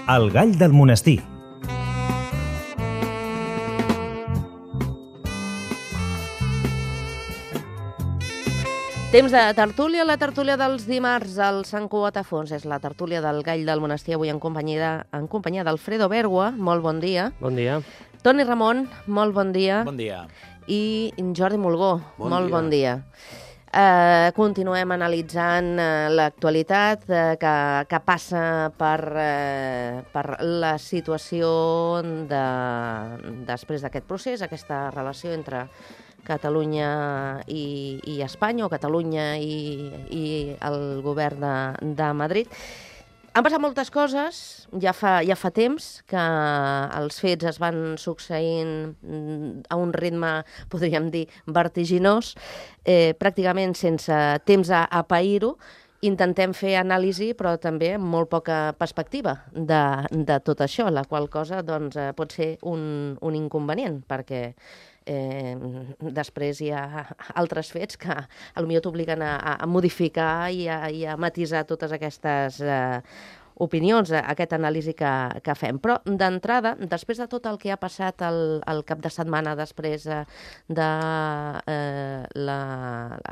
El gall del monestir. Temps de tertúlia, la tertúlia dels dimarts al Sant Cugat a Fons. És la tertúlia del gall del monestir, avui en companyia d'Alfredo Bergua. Molt bon dia. Bon dia. Toni Ramon, molt bon dia. Bon dia. I Jordi Mulgó, molt bon dia. Continuem analitzant l'actualitat que passa per la situació després d'aquest procés, aquesta relació entre Catalunya i Espanya, o Catalunya i el govern de Madrid. Han passat moltes coses, ja fa temps que els fets es van succeint a un ritme, podríem dir, vertiginós, pràcticament sense temps a pair-ho. Intentem fer anàlisi, però també amb molt poca perspectiva de tot això, la qual cosa doncs, pot ser un inconvenient, perquè després hi ha altres fets que potser t'obliguen a modificar i a matisar totes aquestes opinions, aquesta anàlisi que fem. Però d'entrada, després de tot el que ha passat el cap de setmana després de la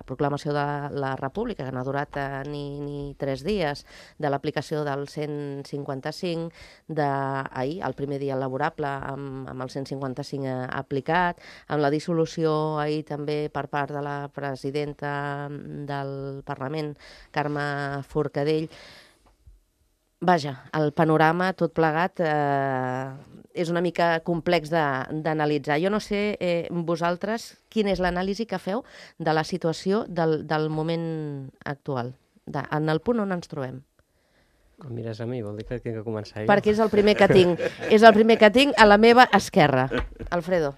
proclamació de la República, que no ha durat ni 3 dies, de l'aplicació del 155, d'ahir, el primer dia laborable amb el 155 aplicat, amb la dissolució ahir també per part de la presidenta del Parlament, Carme Forcadell. Vaja, el panorama tot plegat és una mica complex d'analitzar. Jo no sé, vosaltres, quina és l'anàlisi que feu de la situació del moment actual, en el punt on ens trobem. Quan mires a mi, vol dir que tinc que començar jo. Perquè és el primer que tinc. És el primer que tinc a la meva esquerra. Alfredo.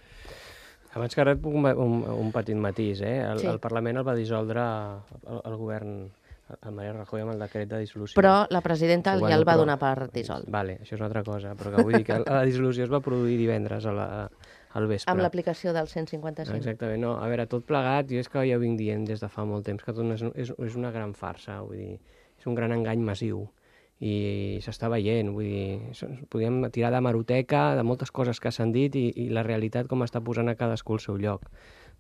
Abans que res, un petit matís. Sí. El Parlament el va dissoldre el govern, el Mariano Rajoy, amb el decret de dissolució. Però la presidenta ja el va donar per dissolt. Vale, això és una altra cosa, però que vull dir que la dissolució es va produir divendres al vespre. Amb l'aplicació del 155. Exactament, no. A veure, tot plegat, jo és que ja ho vinc dient des de fa molt temps, que tot és una gran farsa, vull dir, és un gran engany massiu. I s'està veient, vull dir, podríem tirar de hemeroteca, de moltes coses que s'han dit i la realitat com està posant a cadascú al seu lloc.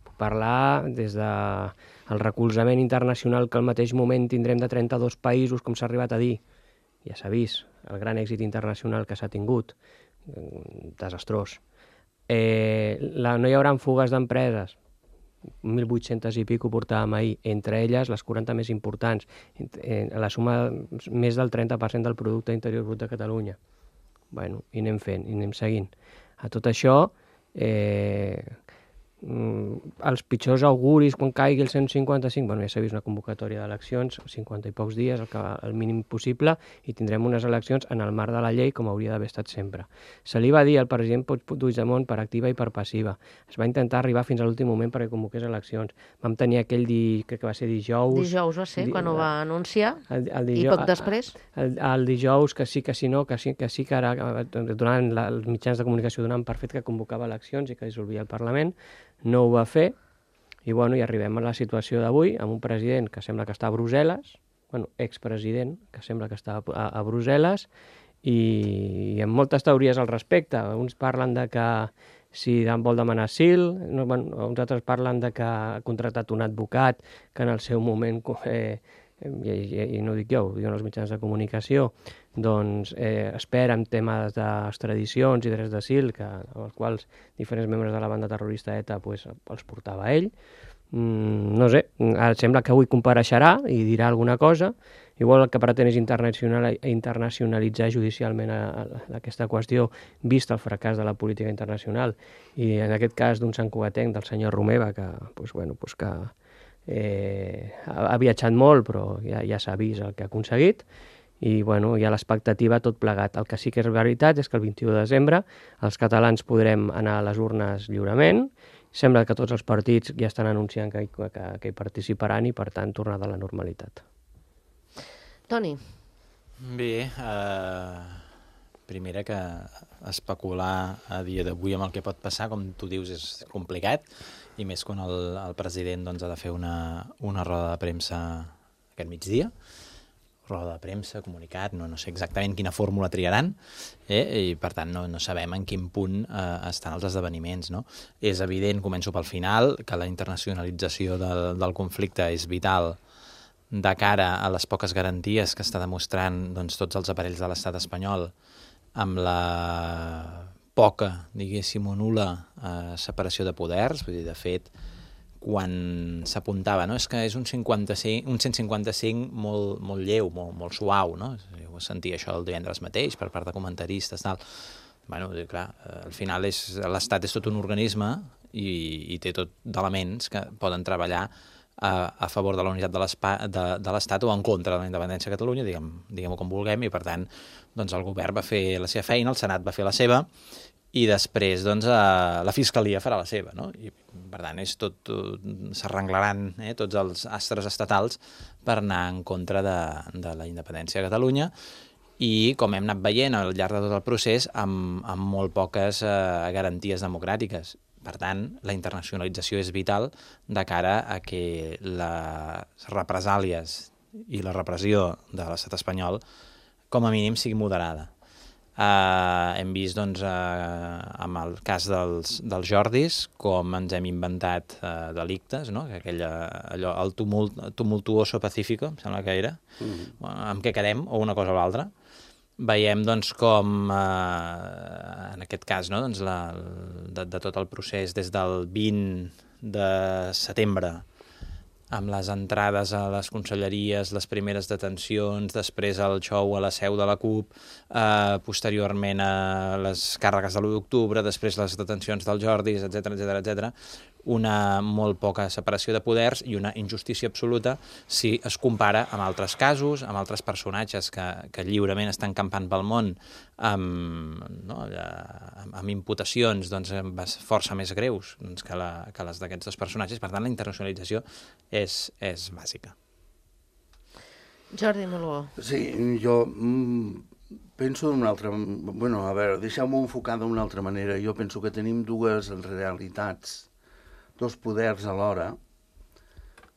Puc parlar des del recolzament internacional que al mateix moment tindrem de 32 països, com s'ha arribat a dir. Ja s'ha vist, el gran èxit internacional que s'ha tingut. Desastrós. No hi haurà fugues d'empreses. 1.800 i pico portàvem ahir, entre elles les 40 més importants, la suma més del 30% del producte interior brut de Catalunya. Bueno, i anem fent, i anem seguint. A tot això, els pitjors auguris quan caigui el 155, bueno, ja s'ha vist una convocatòria d'eleccions, 50 i pocs dies, el mínim possible, i tindrem unes eleccions en el marc de la llei, com hauria d'haver estat sempre. Se li va dir al president Puigdemont per activa i per passiva. Es va intentar arribar fins a l'últim moment perquè convoqués eleccions. Vam tenir aquell crec que va ser dijous... Dijous va ser, quan ho va anunciar, i poc després. El dijous, que sí, que sí, no, que sí, que ara, els mitjans de comunicació donaven per fet que convocava eleccions i que dissolvia el Parlament. No ho va fer, i bueno, i arribem a la situació d'avui, amb un president que sembla que està a Brussel·les, bueno, expresident, que sembla que està a Brussel·les, i amb moltes teories al respecte. Uns parlen de que si vol demanar asil, uns altres parlen de que ha contractat un advocat que en el seu moment, i no ho dic jo, ho diuen els mitjans de comunicació, doncs espera en temes d'extradicions i drets d'asil, amb els quals diferents membres de la banda terrorista ETA els portava ell. No sé, ara sembla que avui compareixerà i dirà alguna cosa. Igual el que pretén és internacionalitzar judicialment aquesta qüestió, vist el fracàs de la política internacional, i en aquest cas d'un santcugatenc, del senyor Romeva, que ha viatjat molt, però ja s'ha vist el que ha aconseguit, i bueno, hi ha l'expectativa tot plegat. El que sí que és veritat és que el 21 de desembre els catalans podrem anar a les urnes lliurement. Sembla que tots els partits ja estan anunciant que hi participaran i, per tant, tornar a la normalitat. Toni. Bé, primera que especular a dia d'avui amb el que pot passar, com tu dius, és complicat, i més quan el president ha de fer una roda de premsa aquest migdia, roda de premsa, comunicat, no sé exactament quina fórmula triaran, i per tant no sabem en quin punt estan els esdeveniments. No? És evident, començo pel final, que la internacionalització del conflicte és vital de cara a les poques garanties que està demostrant doncs, tots els aparells de l'estat espanyol amb la poca, diguéssim, o nul·la separació de poders. Vull dir, de fet, quan s'apuntava, no? És que és un 155 molt lleu, molt suau, no? Ho sentia això el divendres mateix per part de comentaristes, tal. Bueno, clar, al final l'Estat és tot un organisme i té tot d'elements que poden treballar a favor de la unitat de l'Estat o en contra de la independència de Catalunya, diguem-ho com vulguem, i per tant doncs, el govern va fer la seva feina, el Senat va fer la seva, i després doncs, la Fiscalia farà la seva. No? I, per tant, s'arrenglaran tots els astres estatals per anar en contra de la independència de Catalunya i, com hem anat veient al llarg de tot el procés, amb molt poques garanties democràtiques. Per tant, la internacionalització és vital de cara a que les represàlies i la repressió de l'estat espanyol com a mínim sigui moderada. Hem vist doncs, amb el cas dels Jordis com ens hem inventat delictes, no? El tumultuoso pacífico, em sembla que era, amb què quedem, o una cosa o l'altra. Veiem doncs, com, en aquest cas, no? Doncs, de tot el procés des del 20 de setembre, amb les entrades a les conselleries, les primeres detencions, després el xou a la seu de la CUP, posteriorment a les càrregues de l'1 d'octubre, després les detencions dels Jordis, etc. Una molt poca separació de poders i una injustícia absoluta si es compara amb altres casos, amb altres personatges que lliurement estan campant pel món amb imputacions doncs, força més greus doncs, que les d'aquests dos personatges. Per tant, la internacionalització és bàsica. Jordi Moló. Sí, jo penso d'una altra... Bueno, a veure, deixeu-m'ho enfocar d'una altra manera. Jo penso que tenim dues realitats, dos poders alhora.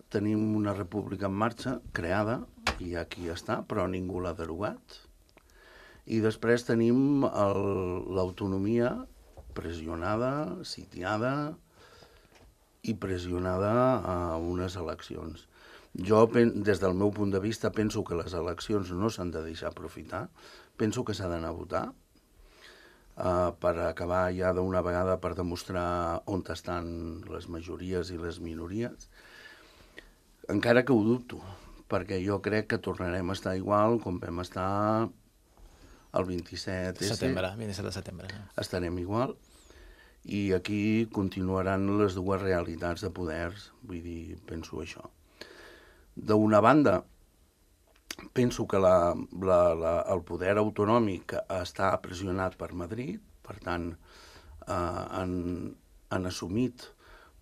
Tenim una república en marxa, creada, i aquí està, però ningú l'ha derogat. I després tenim l'autonomia pressionada, sitiada i pressionada a unes eleccions. Jo, des del meu punt de vista, penso que les eleccions no s'han de deixar aprofitar. Penso que s'ha d'anar a votar per acabar ja d'una vegada per demostrar on estan les majories i les minories. Encara que ho dubto, perquè jo crec que tornarem a estar igual com vam estar el 27 de setembre. Estarem igual. I aquí continuaran les dues realitats de poders. Vull dir, penso això. D'una banda, penso que el poder autonòmic està pressionat per Madrid, per tant, han assumit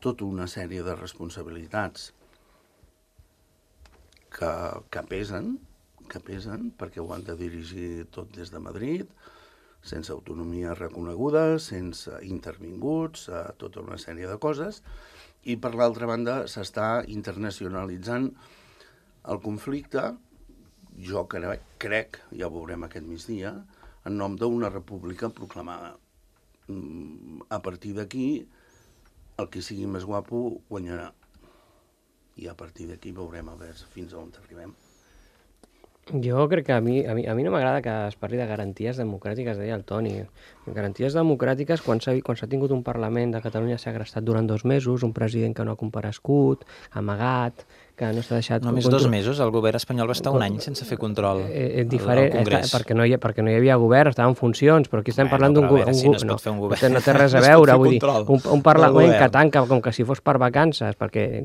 tota una sèrie de responsabilitats que pesen, perquè ho han de dirigir tot des de Madrid, sense autonomia reconeguda, sense intervinguts, tota una sèrie de coses, i per l'altra banda s'està internacionalitzant el conflicte, jo crec, ja ho veurem aquest migdia, en nom d'una república proclamada. A partir d'aquí, el que sigui més guapo guanyarà. I a partir d'aquí veurem a veure fins a on arribem. Jo crec que a mi no m'agrada que es parli de garanties democràtiques, deia el Toni. Garanties democràtiques, quan s'ha tingut un Parlament de Catalunya segrestat durant 2 mesos, un president que no ha comparegut, amagat, que no s'ha deixat... Només 2 mesos, el govern espanyol va estar un any sense fer control al Congrés. Perquè no hi havia govern, estava en funcions, però aquí estem parlant d'un govern... Si no es pot fer un govern... No té res a veure, vull dir, un Parlament que tanca com que si fos per vacances, perquè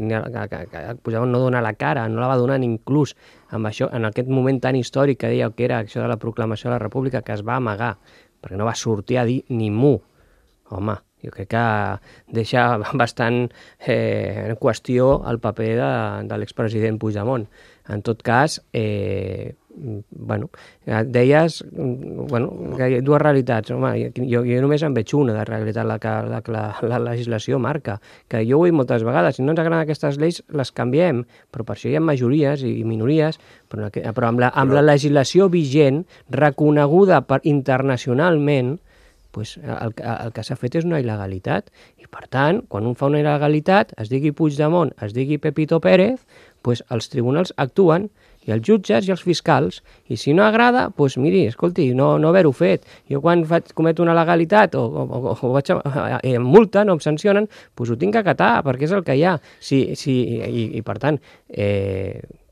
posaven no donar la cara, no la va donar inclús amb això, en aquest moment tan històric que dèieu que era això de la proclamació de la República, que es va amagar, perquè no va sortir a dir ni mu. Home, jo crec que deixa bastant en qüestió el paper de l'expresident Puigdemont. En tot cas, deies que hi ha dues realitats. Home, jo només en veig una de realitat, la que la legislació marca, que jo ho he dit moltes vegades, si no ens agraden aquestes lleis, les canviem, però per això hi ha majories i minories, però amb la legislació vigent, reconeguda internacionalment, pues, el que s'ha fet és una il·legalitat. I, per tant, quan un fa una il·legalitat, es digui Puigdemont, es digui Pepito Pérez, pues, els tribunals actuen, i els jutges i els fiscals, i si no agrada, doncs miri, escolti, no haver-ho fet. Jo quan cometo una legalitat o vaig em multen o em sancionen, doncs ho tinc que acatar, perquè és el que hi ha. I per tant,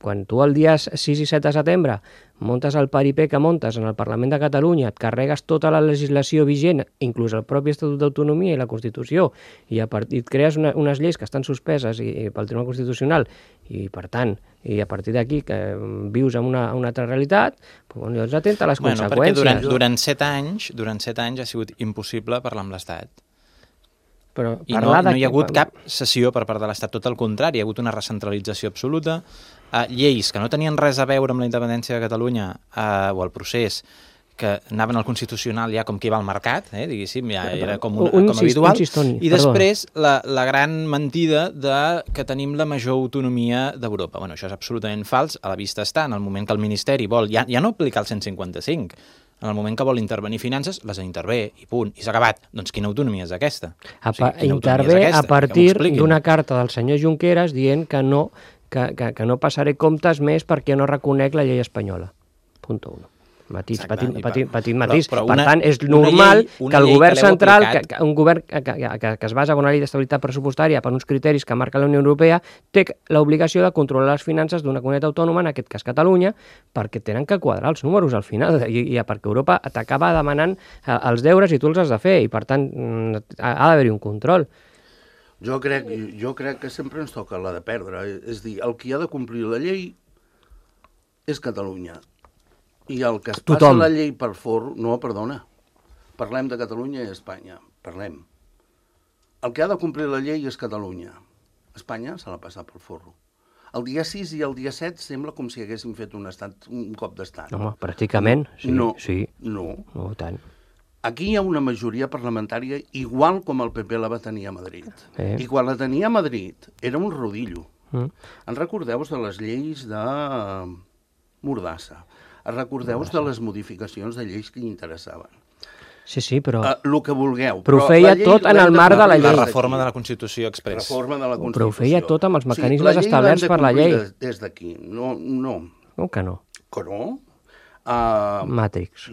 quan tu el dia 6 i 7 de setembre muntes el paripé que muntes en el Parlament de Catalunya, et carregues tota la legislació vigent, inclús el propi Estatut d'Autonomia i la Constitució, i et crees unes lleis que estan suspeses pel Tribunal Constitucional, i per tant, i a partir d'aquí que vius en una altra realitat, doncs llavors atenta a les conseqüències. Perquè durant 7 anys ha sigut impossible parlar amb l'Estat. I no hi ha hagut cap cessió per part de l'Estat, tot el contrari, hi ha hagut una recentralització absoluta, lleis que no tenien res a veure amb la independència de Catalunya o el procés, que anaven al Constitucional ja com que va al mercat, diguéssim, ja era com habitual, i després la gran mentida que tenim la major autonomia d'Europa. Bueno, això és absolutament fals, a la vista està, en el moment que el Ministeri vol ja no aplicar el 155, en el moment que vol intervenir finances, les intervé, i punt, i s'ha acabat. Doncs quina autonomia és aquesta? Intervé a partir d'una carta del senyor Junqueras dient que no passaré comptes més perquè no reconec la llei espanyola. Punt 1. Petit matís. Per tant, és normal que el govern central, un govern que es basa en una llei d'estabilitat pressupostària per uns criteris que marca la Unió Europea, té l'obligació de controlar les finances d'una comunitat autònoma, en aquest cas Catalunya, perquè tenen que quadrar els números al final, i perquè Europa t'acaba demanant els deures i tu els has de fer, i per tant ha d'haver-hi un control. Jo crec que sempre ens toca la de perdre, és dir, el qui ha de complir la llei és Catalunya. I el que es passa la llei per forro... No, perdona. Parlem de Catalunya i Espanya. Parlem. El que ha de complir la llei és Catalunya. Espanya se l'ha passat pel forro. El dia 6 i el dia 7 sembla com si haguéssim fet un cop d'estat. Home, pràcticament. No. No tant. Aquí hi ha una majoria parlamentària igual com el PP la va tenir a Madrid. I quan la tenia a Madrid era un rodillo. En recordeu de les lleis de Mordassa? Recordeu-vos de les modificacions de lleis que hi interessaven. Sí, però... El que vulgueu. Però ho feia tot en el marc de la llei. La reforma de la Constitució express. Però ho feia tot amb els mecanismes establerts per la llei. Des d'aquí. No. Com que no? Que no? Matrix.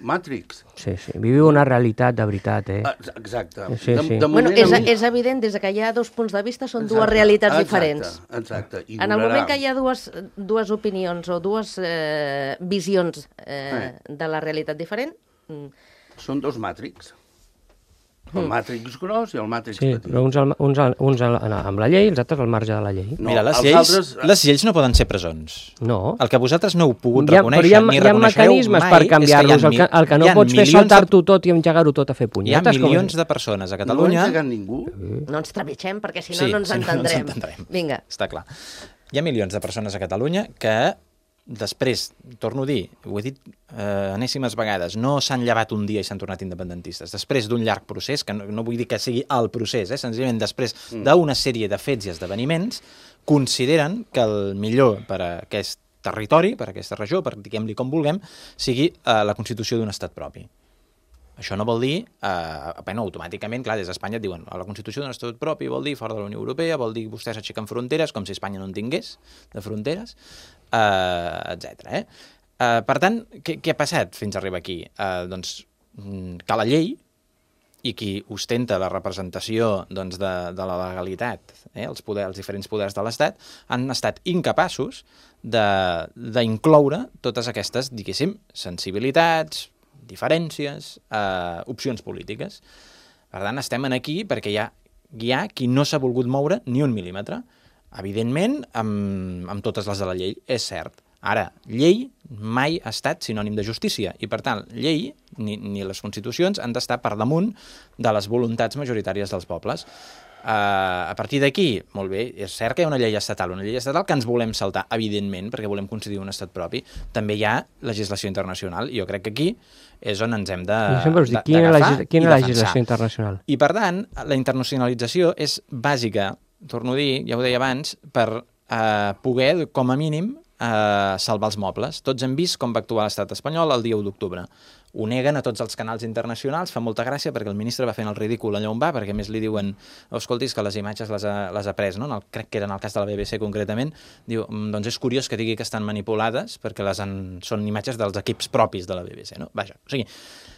Matrix. Sí. Viviu una realitat de veritat, Exacte. Sí. Bueno, és evident, des que hi ha dos punts de vista, són dues realitats diferents. Exacte. En el moment que hi ha dues opinions o dues visions de la realitat diferent... Són dos Matrix. El Matrix gros i el Matrix petit. Sí, però uns amb la llei i els altres al marge de la llei. Mira, les lleis no poden ser presons. No. El que vosaltres no heu pogut reconèixer ni reconeixereu mai... Hi ha mecanismes per canviar-los. El que no pots fer és saltar-t'ho tot i engegar-ho tot a fer punyetes. Hi ha milions de persones a Catalunya... No ha engegat ningú. No ens trepitgem, perquè si no ens entendrem. Vinga. Està clar. Hi ha milions de persones a Catalunya que... Després, torno a dir, ho he dit enèsimes vegades, no s'han llevat un dia i s'han tornat independentistes. Després d'un llarg procés, que no vull dir que sigui el procés, senzillament després d'una sèrie de fets i esdeveniments, consideren que el millor per a aquest territori, per a aquesta regió, per diguem-li com vulguem, sigui la constitució d'un estat propi. Això no vol dir, automàticament, clar, des d'Espanya et diuen la Constitució d'un estat propi vol dir fora de la Unió Europea, vol dir vostès aixequen fronteres, com si Espanya no en tingués de fronteres, etc. Per tant, què ha passat fins a arribar aquí? Doncs que la llei i qui ostenta la representació de la legalitat, els diferents poders de l'Estat, han estat incapaços d'incloure totes aquestes, diguéssim, sensibilitats, diferències, opcions polítiques. Per tant, estem aquí perquè hi ha qui no s'ha volgut moure ni un mil·límetre. Evidentment, amb totes les de la llei, és cert. Ara, llei mai ha estat sinònim de justícia i, per tant, llei ni les constitucions han d'estar per damunt de les voluntats majoritàries dels pobles. a partir d'aquí, molt bé, és cert que hi ha una llei estatal que ens volem saltar, evidentment, perquè volem constituir un estat propi. També hi ha legislació internacional, i jo crec que aquí és on ens hem d'agafar quina legislació internacional? I, per tant, la internacionalització és bàsica, torno a dir, ja ho deia abans, per poder, com a mínim, salvar els mobles. Tots hem vist com va actuar l'estat espanyol el dia 1 d'octubre. Ho neguen a tots els canals internacionals, fa molta gràcia perquè el ministre va fent el ridícul allà on va, perquè a més li diuen, escoltis, que les imatges les ha pres, no? Crec que era en el cas de la BBC concretament, diu, doncs és curiós que digui que estan manipulades perquè són imatges dels equips propis de la BBC, no? Vaja, o sigui,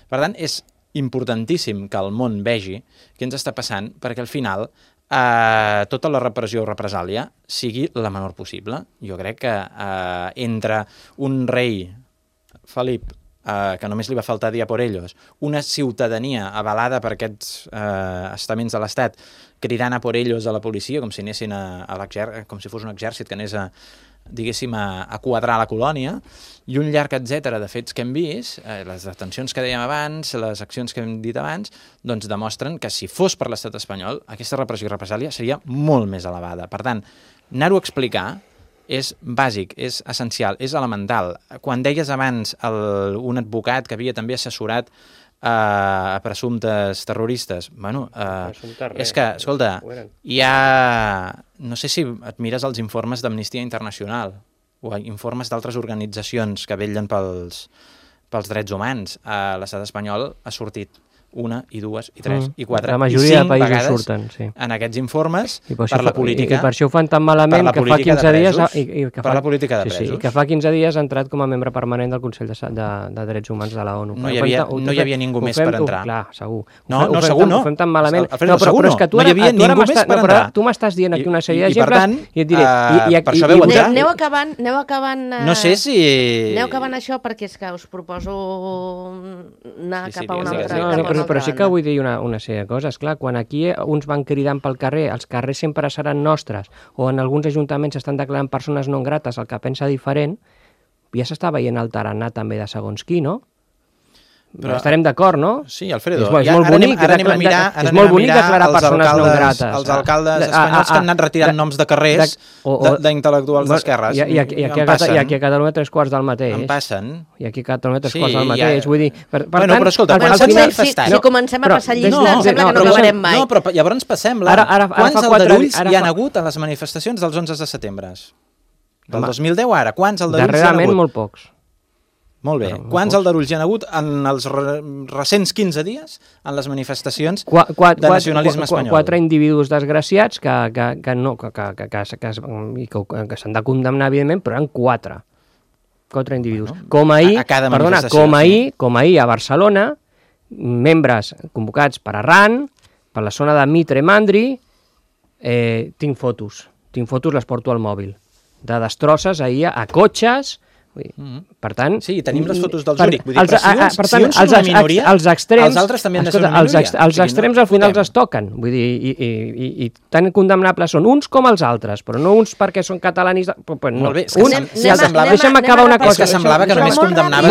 per tant, és importantíssim que el món vegi què ens està passant, perquè al final tota la repressió o represàlia sigui la menor possible. Jo crec que entre un rei, Felip, que només li va faltar dir a por ellos, una ciutadania avalada per aquests estaments de l'Estat cridant a por ellos a la policia com si anessin com si fos un exèrcit que anés diguéssim, a quadrar la colònia, i un llarg etcètera de fets que hem vist, les detencions que dèiem abans, les accions que hem dit abans, doncs demostren que si fos per l'estat espanyol, aquesta repressió i represàlia seria molt més elevada. Per tant, anar-ho a explicar és bàsic, és essencial, és elemental. Quan deies abans un advocat que havia també assessorat a presumptes terroristes, bueno, és que, escolta, hi ha... No sé si et mires els informes d'Amnistia Internacional o informes d'altres organitzacions que vetllen pels drets humans. L'estat espanyol ha sortit una, i dues, i tres, i quatre, la majoria i 5 vegades surten, sí, en aquests informes per la política. I per això ho fan tan malament que fa 15 dies... Per la política de presos. Sí, que fa 15 dies ha entrat com a membre permanent del Consell de Drets Humans de la ONU. No hi havia ningú més per entrar. Clar, segur. Segur no. Ho fem tan malament. Alfredo, segur no. No hi havia ningú més per entrar. Tu m'estàs dient aquí una sèrie d'exemples i et diré... Per això veu entrar. Aneu acabant... No sé si... Aneu acabant això perquè és que us proposo anar cap a una altra banda. Però sí que vull dir una sèrie de coses. Clar, quan aquí uns van cridant pel carrer, els carrers sempre seran nostres, o en alguns ajuntaments estan declarant persones no grates el que pensa diferent, ja s'està veient el tarannà també de segons qui, no? Però estarem d'acord, no? Sí, Alfredo. És molt bonic declarar persones no grates. Els alcaldes espanyols que han anat retirant noms de carrers d'intel·lectuals d'esquerres. I aquí a Catalunya 3 quarts del mateix. En passen. I aquí a Catalunya 3 quarts del mateix. Vull dir, bueno, però escolta, si comencem a passar llista, em sembla que no acabarem mai. No, però llavors passem-la. Quants aldarulls hi han hagut a les manifestacions dels 11 de setembre? Del 2010 ara, quants aldarulls hi han hagut? Darrerament molt pocs. Molt bé. Quants aldarulls hi ha hagut en els recents 15 dies en les manifestacions de nacionalisme espanyol? 4 individus desgraciats que s'han de condemnar, evidentment, però eren 4 individus. Com ahir a Barcelona, membres convocats per Arran, per la zona de Mitre Mandri, tinc fotos, les porto al mòbil, de destrosses ahir a cotxes. Per tant... Sí, tenim les fotos del Zúrich. Vull dir, si uns són una minoria, els altres també han de ser una minoria. Els extrems al final es toquen. Vull dir, i tan condemnables són uns com els altres, però no uns perquè són catalanistes... Molt bé, és que deixa'm acabar una cosa. És que semblava que només condemnaves...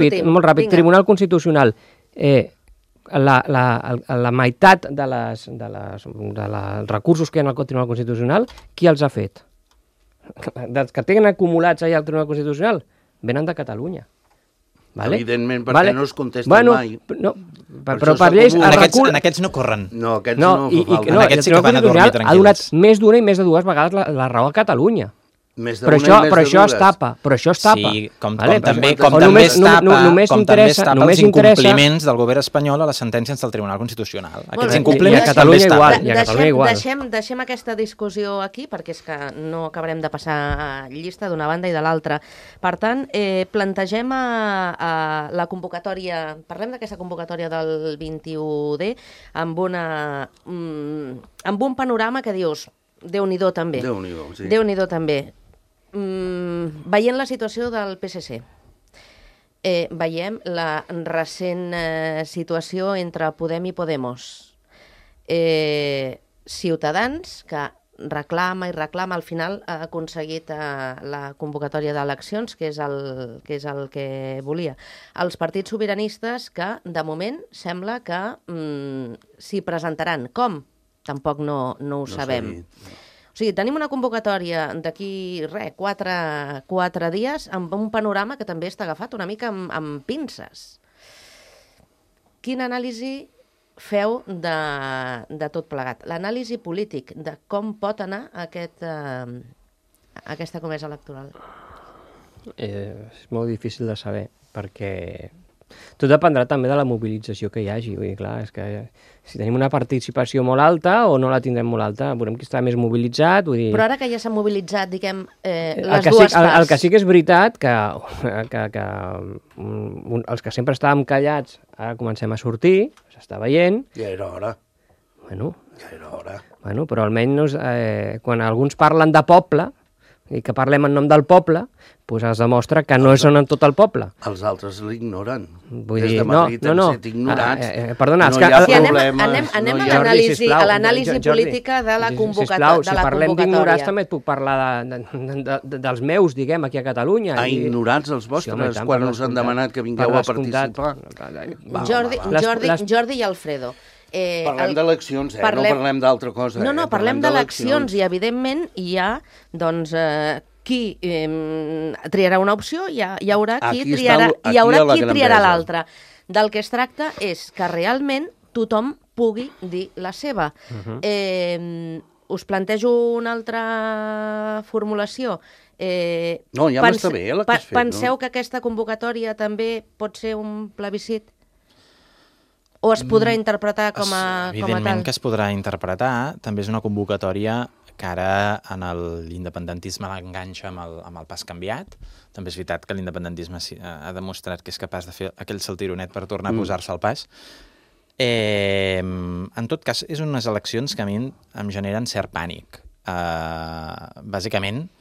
Molt ràpid. Tribunal Constitucional. La meitat dels recursos que hi ha al Tribunal Constitucional, qui els ha fet? Dels que tenen acumulats allà al Tribunal Constitucional, venen de Catalunya. Vale? Evidentment, perquè no es contesten mai. No, però per lleis... En aquests no corren. No, aquests no fa falta. En aquests sí que van a dormir tranquils. Ha donat més d'una i més de dues vegades la raó a Catalunya. Però això es tapa. Sí, com també es tapa els incompliments del govern espanyol a les sentències del Tribunal Constitucional. Aquests incompliments també es tapen. Deixem aquesta discussió aquí, perquè és que no acabarem de passar llista d'una banda i de l'altra. Per tant, plantegem la convocatòria, parlem d'aquesta convocatòria del 21D amb un panorama que dius, Déu-n'hi-do també. Déu-n'hi-do també. Veient la situació del PSC, veiem la recent situació entre Podem i Podemos, Ciutadans, que reclama i reclama, al final ha aconseguit la convocatòria d'eleccions, que és el que volia. Els partits sobiranistes que, de moment, sembla que s'hi presentaran. Com? Tampoc no ho sabem. O sigui, tenim una convocatòria d'aquí, 4 dies, amb un panorama que també està agafat una mica amb pinces. Quina anàlisi feu de tot plegat? L'anàlisi polític de com pot anar aquesta comesa electoral. És molt difícil de saber, perquè tot dependrà també de la mobilització que hi hagi. Vull dir, clar, és que si tenim una participació molt alta o no la tindrem molt alta, veurem qui està més mobilitzat. Vull dir... Però ara que ja s'ha mobilitzat, diguem, les dues parts... El que sí que és veritat, que els que sempre estàvem callats ara comencem a sortir, s'està veient... Ja era hora. Bueno, ja era hora. Bueno, però almenys quan alguns parlen de poble, i que parlem en nom del poble, doncs es demostra que no són en tot el poble. Els altres l'ignoren. Vull Des dir, de Madrid hem set ignorats. Perdona, no hi ha problemes. Anem a l'anàlisi política de la convocatòria. Si parlem d'ignorats també et puc parlar dels meus, diguem, aquí a Catalunya. Ignorats els vostres, quan us han demanat que vingueu a participar. Jordi i Alfredo. Parlem d'eleccions, no parlem d'altra cosa. No, parlem d'eleccions i, evidentment, hi ha, doncs, qui triarà una opció i hi haurà qui triarà l'altra. Del que es tracta és que realment tothom pugui dir la seva. Us plantejo una altra formulació. No, ja m'està bé la que has fet. Penseu que aquesta convocatòria també pot ser un plebiscit? O es podrà interpretar com a tal? Evidentment que es podrà interpretar. També és una convocatòria que ara en l'independentisme l'enganxa amb el pas canviat. També és veritat que l'independentisme ha demostrat que és capaç de fer aquell saltironet per tornar a posar-se al pas. En tot cas, és unes eleccions que a mi em generen cert pànic. Bàsicament,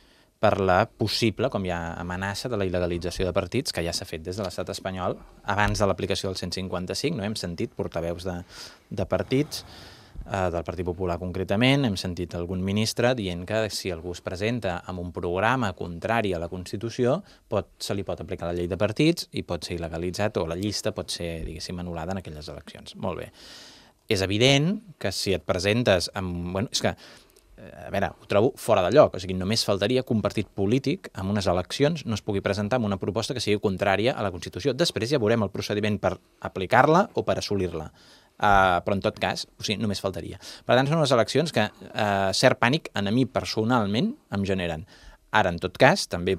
per la possible, com hi ha amenaça, de la il·legalització de partits, que ja s'ha fet des de l'estat espanyol, abans de l'aplicació del 155, no hem sentit portaveus de partits, del Partit Popular concretament, hem sentit algun ministre dient que si algú es presenta amb un programa contrari a la Constitució, se li pot aplicar la llei de partits i pot ser il·legalitzat, o la llista pot ser, diguéssim, anul·lada en aquelles eleccions. Molt bé. És evident que si et presentes amb... Bueno, és que a veure, ho trobo fora de lloc. O sigui, només faltaria que un partit polític en unes eleccions no es pugui presentar amb una proposta que sigui contrària a la Constitució. Després ja veurem el procediment per aplicar-la o per assolir-la. Però en tot cas, o sigui, només faltaria. Per tant, són unes eleccions que cert pànic a mi personalment em generen. Ara, en tot cas, també,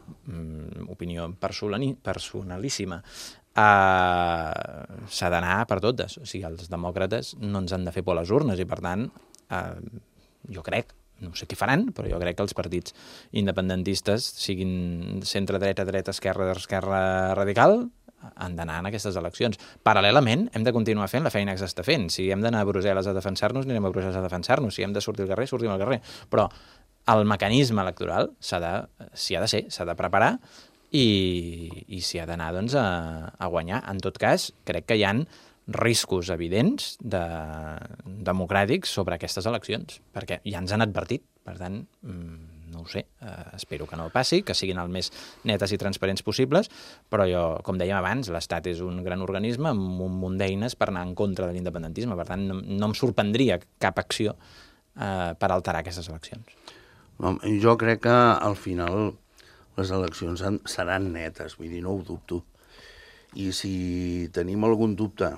opinió personalíssima, s'ha d'anar per totes. O sigui, els demòcrates no ens han de fer por a les urnes i, per tant, jo crec, no sé què faran, però jo crec que els partits independentistes, siguin centre-dreta, dreta-esquerra, esquerra radical, han d'anar en aquestes eleccions. Paral·lelament, hem de continuar fent la feina que s'està fent. Si hem d'anar a Brussel·les a defensar-nos, anirem a Brussel·les a defensar-nos. Si hem de sortir al carrer, sortim al carrer. Però el mecanisme electoral s'ha de preparar i s'hi ha d'anar doncs, a guanyar. En tot cas, crec que hi ha riscos evidents democràtics sobre aquestes eleccions, perquè ja ens han advertit. Per tant, no ho sé, espero que no passi, que siguin el més netes i transparents possibles, però jo, com dèiem abans, l'Estat és un gran organisme amb un munt d'eines per anar en contra de l'independentisme. Per tant, no em sorprendria cap acció per alterar aquestes eleccions. Jo crec que al final les eleccions seran netes, vull dir, no ho dubto. I si tenim algun dubte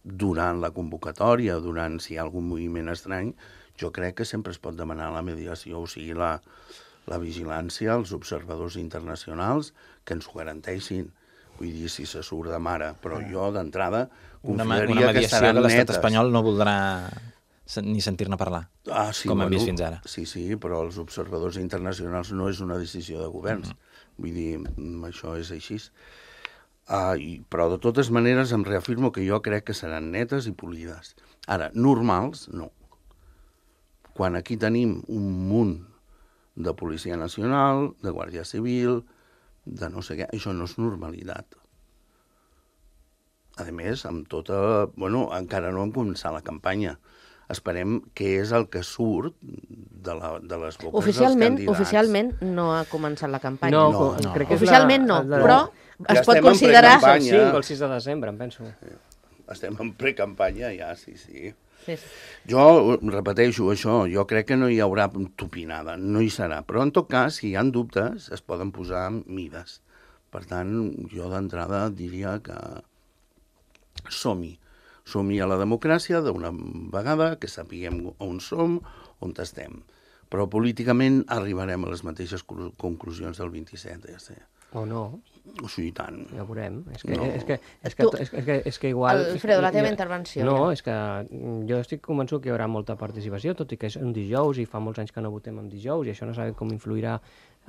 durant la convocatòria, si hi ha algun moviment estrany, jo crec que sempre es pot demanar la mediació, o sigui, la vigilància, els observadors internacionals, que ens ho garanteixin. Vull dir, si se surt de mare. Però jo, d'entrada, confiaria que seran netes. Una mediació que l'estat espanyol no voldrà ni sentir-ne parlar, com hem vist fins ara. Sí, però els observadors internacionals no és una decisió de governs. Vull dir, això és així. Però de totes maneres em reafirmo que jo crec que seran netes i polides. Ara, normals, no. Quan aquí tenim un munt de Policia Nacional, de Guàrdia Civil, de no sé què, això no és normalitat. A més, amb tota... Bueno, encara no hem començat la campanya. esperem què és el que surt de les boques dels candidats. Oficialment no ha començat la campanya. No. Crec que és oficialment no, però Ja es pot estem en considerar... precampanya. el 5 o el 6 de desembre, em penso. Estem en precampanya ja, sí. Sí. Jo repeteixo això, jo crec que no hi haurà tupinada, no hi serà, però en tot cas, si hi ha dubtes, es poden posar mides. Per tant, jo d'entrada diria que som-hi a la democràcia d'una vegada, que sapiguem on som, on estem. Però políticament arribarem a les mateixes conclusions del 27, ja sé. O no. O sigui, tant. Ja ho veurem. No. És que igual... Alfredo, la teva intervenció. No, és que jo estic convençut que hi haurà molta participació, tot i que és un dijous i fa molts anys que no votem en dijous i això no sabem com influirà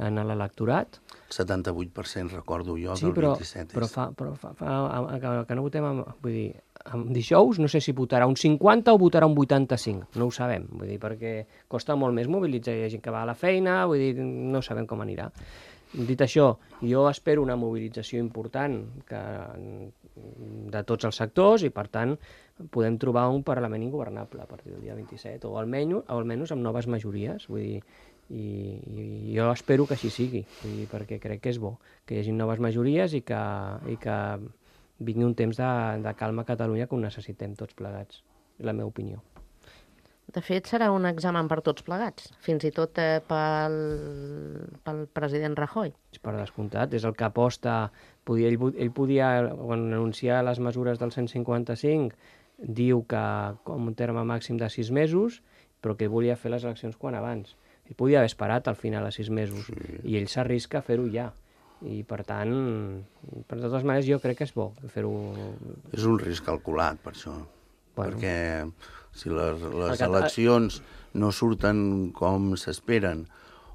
en l'electorat. 78% recordo jo Sí, del 27. però que no votem vull dir, en dijous, no sé si votarà un 50 o votarà un 85, no ho sabem, vull dir, perquè costa molt més mobilitzar, hi ha gent que va a la feina, vull dir, no sabem com anirà. Dit això, jo espero una mobilització important de tots els sectors i, per tant, podem trobar un Parlament ingovernable a partir del dia 27, o almenys amb noves majories, vull dir, i jo espero que així sigui, vull dir, perquè crec que és bo que hi hagi noves majories i que vingui un temps de calma a Catalunya que ho necessitem tots plegats, és la meva opinió. De fet, serà un examen per tots plegats, fins i tot pel president Rajoy. Per descomptat, és el que aposta... Ell podia, quan anunciar les mesures del 155, diu que com un terme màxim de 6 mesos, però que volia fer les eleccions quan abans. Ell podia haver esperat al final a 6 mesos, i ell s'arrisca a fer-ho ja. I, per tant, per totes maneres, jo crec que és bo fer-ho... És un risc calculat, per això. Bueno. Perquè si les eleccions no surten com s'esperen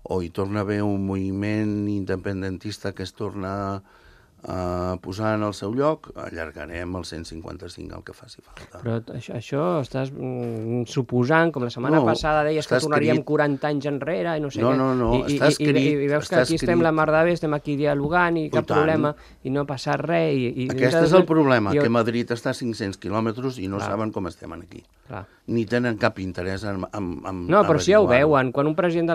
o hi torna a haver un moviment independentista que es torna a posar en el seu lloc, allargarem el 155 el que faci falta. Però això estàs suposant, com la setmana passada deies que tornaríem 40 anys enrere i no sé què. No, està escrit. I veus que aquí estem la mar de bé, estem aquí dialogant i cap problema, i no ha passat res. Aquest és el problema, que Madrid està a 500 quilòmetres i no saben com estem aquí. Ni tenen cap interès en no, però si ja ho veuen, quan un president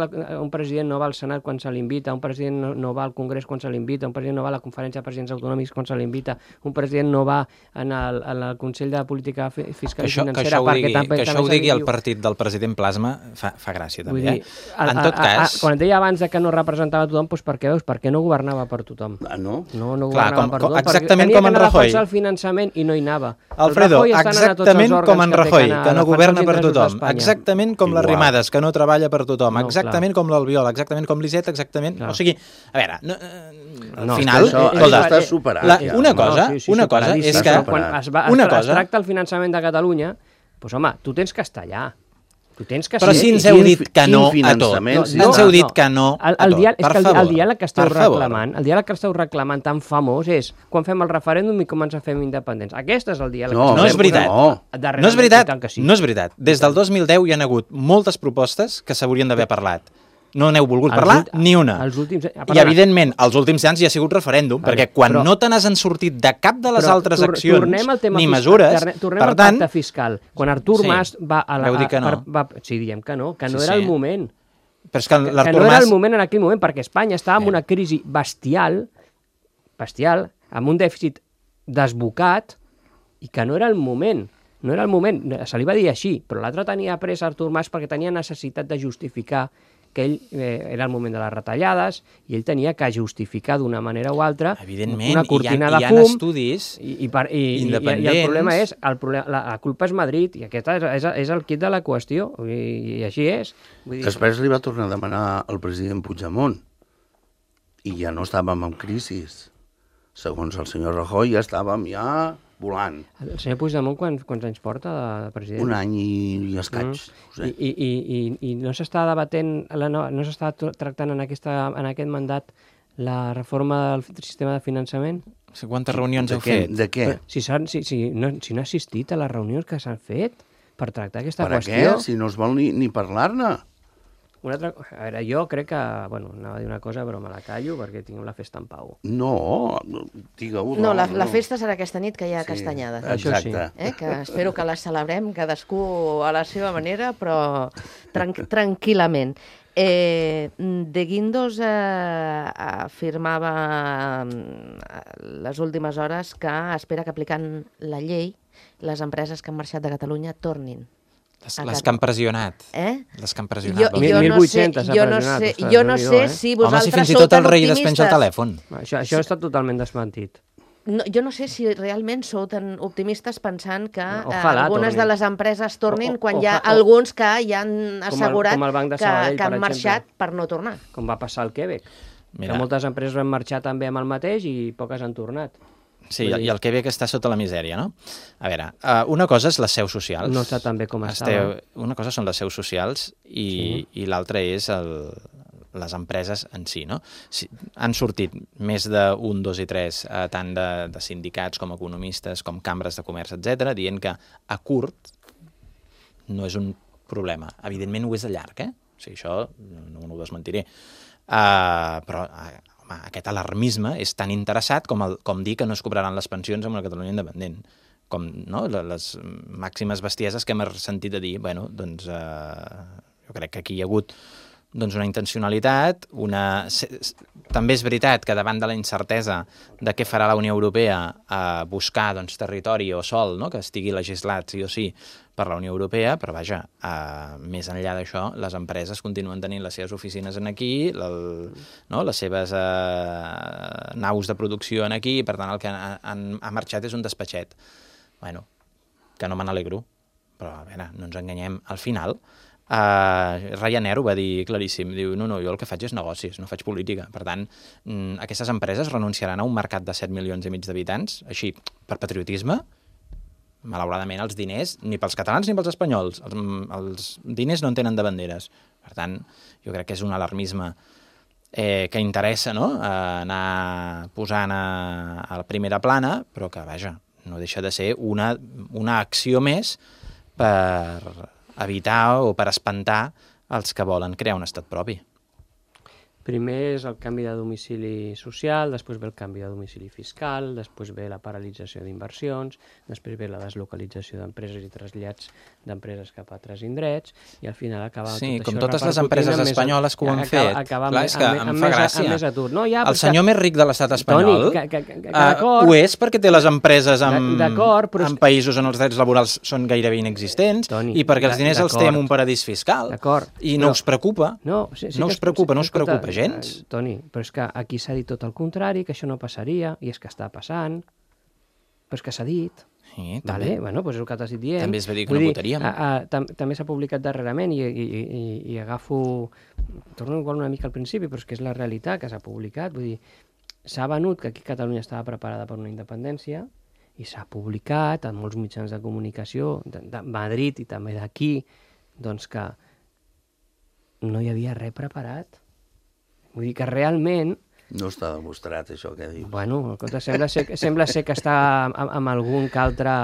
no va al Senat quan se l'invita, un president no va al Congrés quan se l'invita, un president no va a la conferència de presidents autonòmics quan se l'invita, un president no va al Consell de Política Fiscal i Financera perquè que això ho digui el partit del president Plasma fa gràcia també. En tot cas... Quan et deia abans que no representava tothom, doncs per què veus? Perquè no governava per tothom. No? No governava per tothom. Exactament com en Rajoy. Tenia que anar a defensar el finançament i no hi anava. Alfredo, exactament com en Rajoy, que no governa per tothom. Exactament com les Arrimadas, que no treballa per tothom. Exactament com l'Albiol, exactament com l'Iseta, exactament... O sigui, a veure, al final... Això està superat. Una cosa és que... Quan es tracta el finançament de Catalunya, doncs home, tu tens que estar allà. Però si ens heu dit que no a tot. Ens heu dit que no a tot. El diàleg que esteu reclamant tan famós és quan fem el referèndum i com ens fem independents. Aquest és el diàleg. No és veritat. No és veritat. No és veritat. Des del 2010 hi ha hagut moltes propostes que s'haurien d'haver parlat. No n'heu volgut parlar ni una. I, evidentment, els últims anys hi ha sigut referèndum, perquè quan no te n'has sortit de cap de les altres accions ni mesures... Tornem al pacte fiscal. Quan Artur Mas va a la... Sí, diem que no era el moment. Però és que no era el moment en aquell moment, perquè Espanya estava en una crisi bestial, amb un dèficit desbocat, i que no era el moment. No era el moment. Se li va dir així, però l'altre tenia pressa Artur Mas perquè tenia necessitat de justificar que ell era el moment de les retallades i ell tenia que justificar d'una manera o altra una cortina de fum. Estudis independents. I el problema és, la culpa és Madrid, i aquest és el quid de la qüestió, i així és. Després li va tornar a demanar al president Puigdemont, i ja no estàvem en crisi. Segons el senyor Rajoy ja estàvem volant. El senyor Puigdemont quants anys porta de president? Un any i escaig. I no s'està debatent, no s'està tractant en aquest mandat la reforma del sistema de finançament? Quantes reunions heu fet? De què? Si no ha assistit a les reunions que s'han fet per tractar aquesta qüestió. Per què? Si no es vol ni parlar-ne. A veure, jo crec que... Bueno, anava a dir una cosa, però me la callo perquè tinc la festa en pau. No, digue-ho. No, la festa serà aquesta nit que hi ha castanyada. Això sí. Que espero que la celebrem cadascú a la seva manera, però tranquil·lament. De Guindos afirmava les últimes hores que espera que aplicant la llei les empreses que han marxat de Catalunya tornin. Les que han pressionat. Les que han pressionat. 1.800 ha pressionat. Jo no sé si vosaltres sou tan optimistes. Home, si fins i tot el rei despenja el telèfon. Això està totalment desmentit. Jo no sé si realment sou tan optimistes pensant que Ojalà algunes tornin. de les empreses tornin quan hi ha alguns que ja han assegurat com el Banc de que Sabadell, per han marxat exemple. per no tornar. Com va passar al Quebec. Mira. Que moltes empreses van marxar també amb el mateix i poques han tornat. Sí, i el Quebec està sota la misèria, no? A veure, una cosa és les seus socials. No està tan bé com estava. Una cosa són les seus socials i l'altra és les empreses en si, no? Han sortit més de 1, 2 i 3, tant de sindicats com economistes, com cambres de comerç, etc, dient que a curt no és un problema. Evidentment ho és a llarg, O sigui, això no ho desmentiré. Però home, aquest alarmisme és tan interessat com dir que no es cobraran les pensions amb la Catalunya independent. Com les màximes bestieses que hem sentit a dir, bueno, doncs jo crec que aquí hi ha hagut una intencionalitat, també és veritat que davant de la incertesa de què farà la Unió Europea buscar territori o sòl que estigui legislat sí o sí per la Unió Europea, però vaja, més enllà d'això, les empreses continuen tenint les seves oficines aquí, les seves naus de producció aquí, per tant el que ha marxat és un despatxet. Bueno, que no me n'alegro, però a veure, no ens enganyem. Al final, Ryanair ho va dir claríssim, diu, no, jo el que faig és negocis, no faig política. Per tant, aquestes empreses renunciaran a un mercat de 7,5 milions d'habitants, així, per patriotisme. Malauradament, els diners, ni pels catalans ni pels espanyols, els diners no en tenen de banderes. Per tant, jo crec que és un alarmisme que interessa anar posant a la primera plana, però que, vaja, no deixa de ser una acció més per evitar o per espantar els que volen crear un estat propi. Primer és el canvi de domicili social, després ve el canvi de domicili fiscal, després ve la paralització d'inversions, després ve la deslocalització d'empreses i trasllats d'empreses cap a altres indrets, i al final acaba tot això... Sí, com totes les empreses espanyoles que ho han fet. Clar, és que em fa gràcia. El senyor més ric de l'estat espanyol ho és perquè té les empreses en països on els drets laborals són gairebé inexistents i perquè els diners els té en un paradís fiscal. I no us preocupa. No us preocupa gens. Toni, però és que aquí s'ha dit tot el contrari, que això no passaria, i és que està passant, però és que s'ha dit. Sí, també. Bueno, doncs és el que t'has dit dient. També es va dir que no votaríem. També s'ha publicat darrerament i agafo... Torno igual una mica al principi, però és que és la realitat que s'ha publicat. Vull dir, s'ha venut que aquí Catalunya estava preparada per una independència i s'ha publicat en molts mitjans de comunicació de Madrid i també d'aquí, doncs que no hi havia res preparat. Vull dir que realment... No està demostrat, això que dius. Bueno, sembla ser que està amb algun que altre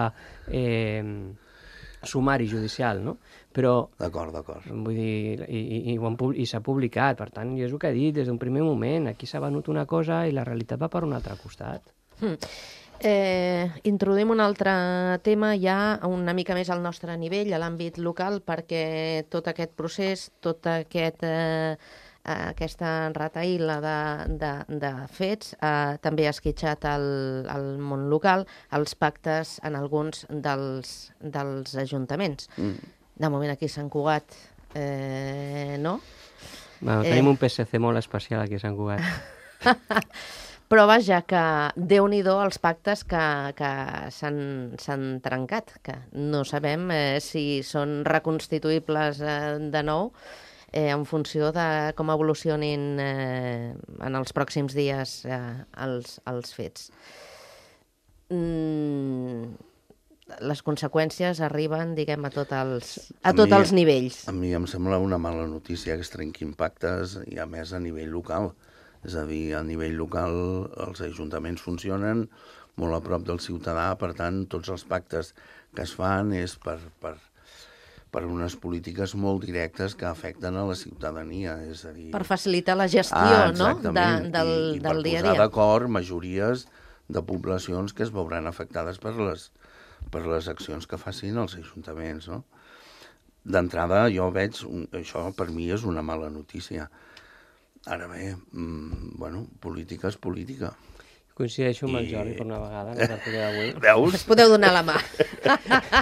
sumari judicial, no? Però... D'acord. Vull dir, i s'ha publicat, per tant, jo és el que he dit des d'un primer moment. Aquí s'ha venut una cosa i la realitat va per un altre costat. Introduïm un altre tema ja una mica més al nostre nivell, a l'àmbit local, perquè tot aquest procés, tot aquesta rataïla de fets també ha esquitxat el món local, els pactes en alguns dels ajuntaments. De moment aquí a Sant Cugat, no? Bueno, tenim un PSC molt especial aquí a Sant Cugat. Però vaja, que Déu-n'hi-do els pactes que s'han trencat, que no sabem si són reconstituïbles de nou, en funció de com evolucionin en els pròxims dies els fets. Les conseqüències arriben, diguem, a tots els nivells. A mi em sembla una mala notícia que es trenquin pactes i a més a nivell local. És a dir, a nivell local els ajuntaments funcionen molt a prop del ciutadà, per tant, tots els pactes que es fan és per per unes polítiques molt directes que afecten a la ciutadania, és a dir... Per facilitar la gestió, no?, del dia a dia. I per posar d'acord majories de poblacions que es veuran afectades per les accions que facin els ajuntaments, no? D'entrada, jo veig, això per mi és una mala notícia. Ara bé, política és política. Coincideixo amb el Jordi per una vegada, en la tertúlia d'avui. Veus? Es podeu donar la mà.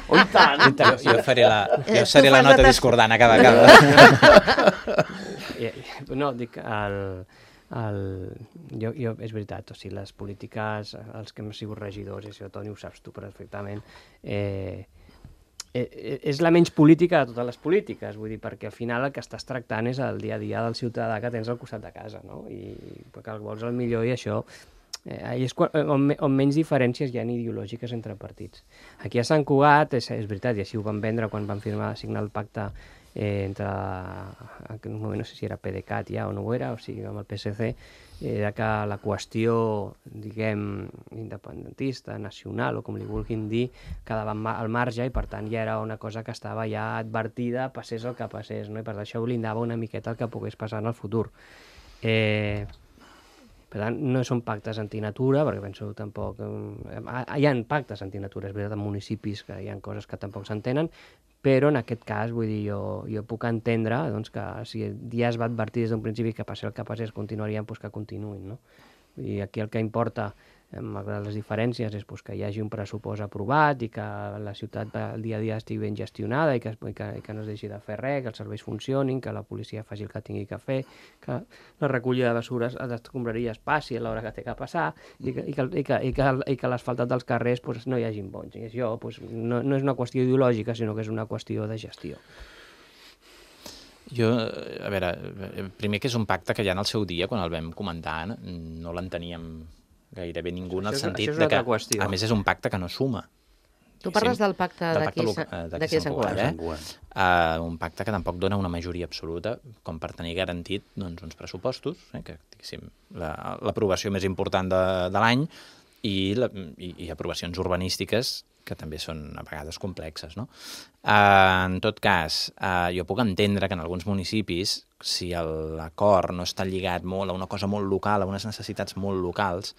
Oh, i tant! Jo seré la nota discordant a cada. No, dic, jo, és veritat, o sigui, les polítiques, els que hem sigut regidors, i això, Toni, ho saps tu perfectament, és la menys política de totes les polítiques, vull dir, perquè al final el que estàs tractant és el dia a dia del ciutadà que tens al costat de casa, no? I perquè el vols el millor i això... és on menys diferències hi ha ideològiques entre partits. Aquí a Sant Cugat, és veritat, i així ho van vendre quan van signar el pacte entre, en aquell moment no sé si era PDeCAT ja o no ho era, o sigui, amb el PSC, era que la qüestió, diguem, independentista, nacional, o com li vulguin dir, quedava al marge i per tant ja era una cosa que estava ja advertida, passés el que passés, no? I per tant això blindava una miqueta el que pogués passar en el futur. Per tant, no són pactes antinatura, perquè penso tampoc... Hi ha pactes antinatura, és veritat, en municipis que hi ha coses que tampoc s'entenen, però en aquest cas, vull dir, jo puc entendre doncs, que si ja es va advertir des d'un principi que passi el que passés, continuarien, doncs que continuïn, no? I aquí el que importa, malgrat les diferències, és que hi hagi un pressupost aprovat i que la ciutat el dia a dia estigui ben gestionada i que no es deixi de fer res, que els serveis funcionin, que la policia faci el que tingui que fer, que la recollida de basures a les escombraries passi a l'hora que té que passar i que l'asfaltat dels carrers no hi hagin bons. I això no és una qüestió ideològica, sinó que és una qüestió de gestió. Jo, a veure, primer que és un pacte que ja en el seu dia, quan el vam comentar, no l'enteníem gairebé ningú en el sentit de que, a més, és un pacte que no suma. Tu parles del pacte d'aquí de Sant Cugat, un pacte que tampoc dona una majoria absoluta com per tenir garantit uns pressupostos, que diguéssim l'aprovació més important de l'any i aprovacions urbanístiques que també són a vegades complexes, no? En tot cas, jo puc entendre que en alguns municipis, si l'acord no està lligat molt a una cosa molt local, a unes necessitats molt locals,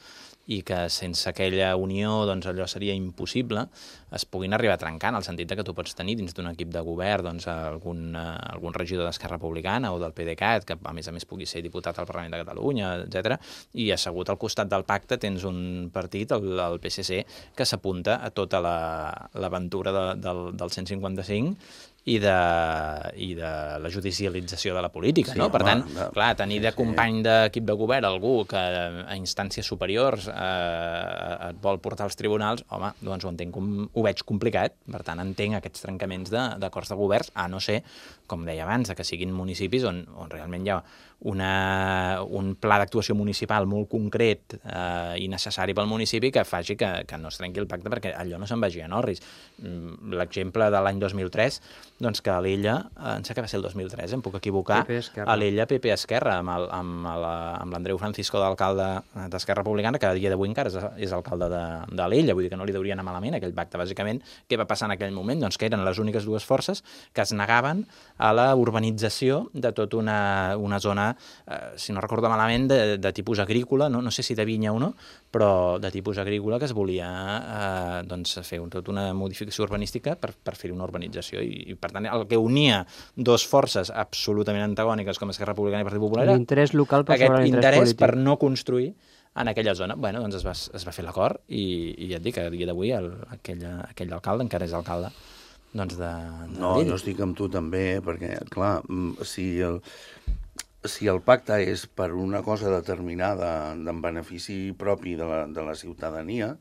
i que sense aquella unió doncs, allò seria impossible, es puguin arribar a trencar, en el sentit que tu pots tenir dins d'un equip de govern doncs, algun regidor d'Esquerra Republicana o del PDeCAT, que a més pugui ser diputat al Parlament de Catalunya, etc. I assegut al costat del pacte tens un partit, el PSC, que s'apunta a tota l'aventura del 155 i de la judicialització de la política, no? Per tant, clar, tenir de company d'equip de govern algú que a instàncies superiors et vol portar als tribunals, home, doncs ho veig complicat, per tant entenc aquests trencaments d'acords de governs, a no ser, com deia abans, que siguin municipis on realment hi ha un pla d'actuació municipal molt concret i necessari pel municipi que faci que no es trenqui el pacte perquè allò no se'n vagi a Norris. L'exemple de l'any 2003, doncs que a l'Ella, em sembla que va ser el 2003, em puc equivocar, a l'Ella PP Esquerra, amb l'Andreu Francisco d'alcalde d'Esquerra Republicana, que a dia d'avui encara és alcalde de l'Ella, vull dir que no li deuria anar malament aquell pacte. Bàsicament, què va passar en aquell moment? Doncs que eren les úniques dues forces que es negaven a la urbanització de tota una zona, si no recordo malament, de tipus agrícola, no sé si de vinya o no, però de tipus agrícola, que es volia fer tota una modificació urbanística per fer una urbanització. I per tant, el que unia dues forces absolutament antagòniques com Esquerra Republicana i Partit Popular era l'interès local per sobre aquest l'interès polític. per no construir en aquella zona. Bueno, doncs es va fer l'acord i ja et dic que a dia d'avui aquell alcalde encara és alcalde No, jo estic amb tu també, perquè, clar, si el pacte és per una cosa determinada en benefici propi de la ciutadania,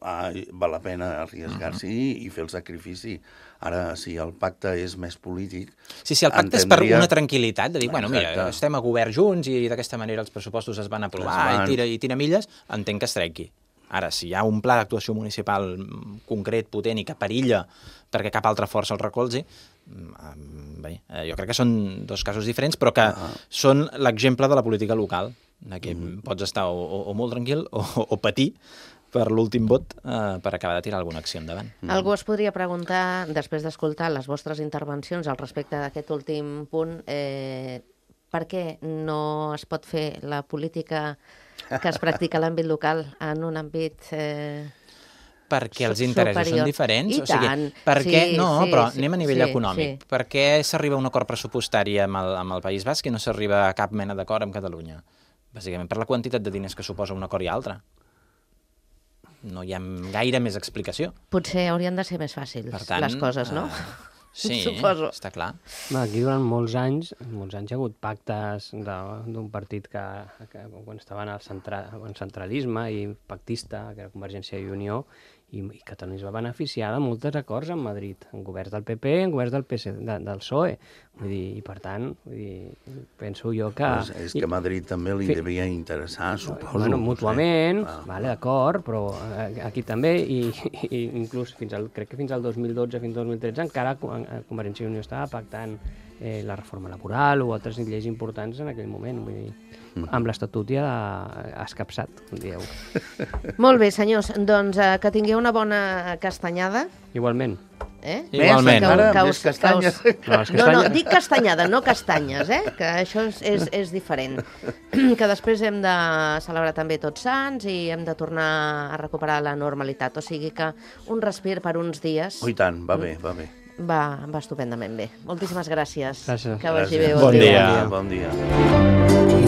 val la pena arriesgar-s'hi i fer el sacrifici. Ara, si el pacte és més polític... Sí, el pacte és per una tranquil·litat, de dir, bueno, mira, estem a govern junts i d'aquesta manera els pressupostos es van aprovar i tira milles, entenc que es trenqui. Ara, si hi ha un pla d'actuació municipal concret, potent i que perilla perquè cap altra força el recolzi, bé, jo crec que són dos casos diferents, però que són l'exemple de la política local, que pots estar o molt tranquil o patir per l'últim vot per acabar de tirar alguna acció endavant. Algú es podria preguntar, després d'escoltar les vostres intervencions al respecte d'aquest últim punt, per què no es pot fer la política que es practica a l'àmbit local en un àmbit perquè els interessos superior. són diferents. I tant. Per què? Sí, No, sí, però sí, anem a nivell sí, econòmic. sí. Per què s'arriba a un acord pressupostari amb el País Basc i no s'arriba a cap mena d'acord amb Catalunya? Bàsicament per la quantitat de diners que suposa un acord i altre. No hi ha gaire més explicació. Potser haurien de ser més fàcils Per tant, les coses, no? Sí, Suposo. està clar. Aquí durant molts anys hi ha hagut pactes d'un partit que quan estaven al centralisme i pactista, que era Convergència i Unió, i Catalunya es va beneficiar de molts acords amb Madrid, en governs del PP, en governs del del PSOE. Vull dir, i per tant, penso jo que... És que a Madrid també li devia interessar, suposo. Bueno, mútuament, No sé. vale, d'acord, però aquí també, i inclús crec que fins al 2012, fins al 2013, encara Convergència i Unió estava pactant la reforma laboral o altres lleis importants en aquell moment. Vull dir, amb l'Estatut ja escapçat, com dieu. Molt bé, senyors, doncs que tingueu una bona castanyada. Igualment. Igualment. Més castanyes. No, dic castanyada, no castanyes, que això és diferent. Que després hem de celebrar també Tots Sants i hem de tornar a recuperar la normalitat. O sigui que un respir per uns dies Oh, i tant, va bé, va bé. va estupendament bé. Moltíssimes gràcies. Gràcies. Que vagi bé. Bon dia. Bon dia.